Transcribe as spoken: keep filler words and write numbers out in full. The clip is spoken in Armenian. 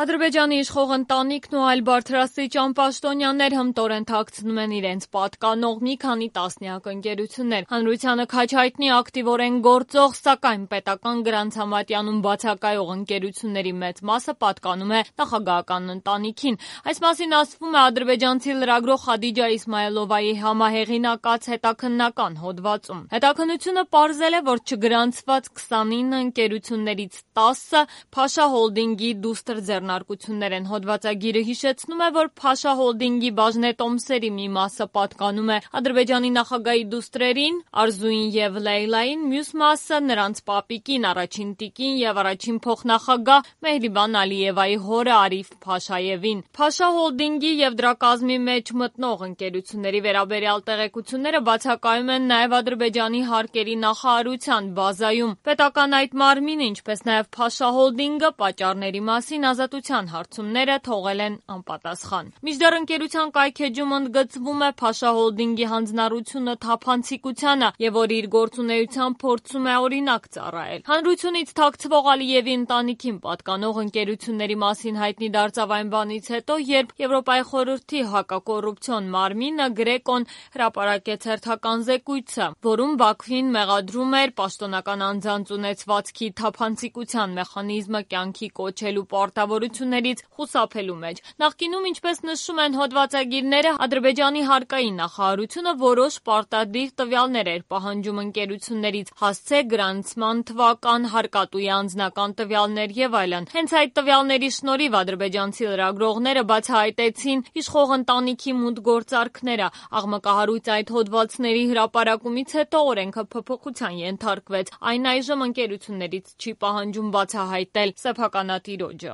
Ադրբեջանի իշխող ընտանիքն ու այլ բարձրաստիճան պաշտոնյաներ հմտորեն թաքցնում են իրենց պատկանող մի քանի տասնյակ ընկերություններ։ Հանրությանը քաջ հայտնի ակտիվորեն գործող, սակայն պետական գրանցամատյանում բացակայող ընկերությունների մեծ մասը պատկանում է նախագահական ընտանիքին։ Այս մասին ասվում է ադրբեջանցի լրագրող Խադիջա Իսմայելովայի համահեղինակած հետաքննական հոդվածում։ Հետաքննությունը պարզել է, որ չգրանցված քսանինը ընկերություններից տասը Փաշա հոլդինգի դուստր ձեռնարկություններ են։ Հոդվածագիրը հիշեցնում է, որ Փաշա հոլդինգի բաժնետոմսերի մի մասը պատկանում է Ադրբեջանի նախագահի դուստրերին Արզուին եւ Լեյլային, մյուս մասը նրանց պապիկին, առաջին տիկին եւ առաջին փոխնախագահ Մեհրիբան Ալիևայի հորը Արիֆ Փաշաևին։ Փաշա հոլդինգի եւ դրա կազմի մեջ մտնող ընկերությունների վերաբերյալ տեղեկությունները բացակայում են նաեւ Ադրբեջանի հարկերի նախարարության բազայում։ Պետական այդ մարմինը, ինչպես նաեւ Փաշա հոլդինգը պատճառների մասին ազատության հարցումները թողել են անպատասխան։ Մինչդեռ ընկերության կայքէջում ընդգծվում է Փաշա հոլդինգի հանձնառությունը թափանցիկությանը եւ որ իր գործունեությամբ փորձում է օրինակ ծառայել։ Հանրությունից թաքցվող Ալիևի ընտանիքին պատկանող ընկերությունների մասին հայտնի դարձավ այն բանից հետո, երբ Եվրոպայի խորհրդի հակակոռուպցիոն մարմինը Գրեկոն հրապարակեց հերթական զեկույցը, որում Բաքվին մեղադրում էր պաշտոնական անձանց ունեցվածքի թափանցիկության մեխանիզմը կյանքի կոչելու պարտավորություններից խուսափելու մեջ։ Նախկինում, ինչպես նշում են հոդվածագիրները, Ադրբեջանի հարկային նախարարությունը որոշ պարտադիր տվյալներ էր պահանջում ընկերություններից՝ հասցե, գրանցման թվական, հարկատուի անձնական տվյալներ եւ այլն։ Հենց այդ տվյալների շնորհիվ ադրբեջանցի լրագրողները բացահայտեցին իշխող ընտանիքի մութ գործարքները։ Աղմկահարույց այդ հոդվածների հրապարակումից հետո օրենքը փոփոխության ենթարկվեց։ Այն այժմ ընկերություններից չի պահանջում բացահայտել սեփականատիրոջը։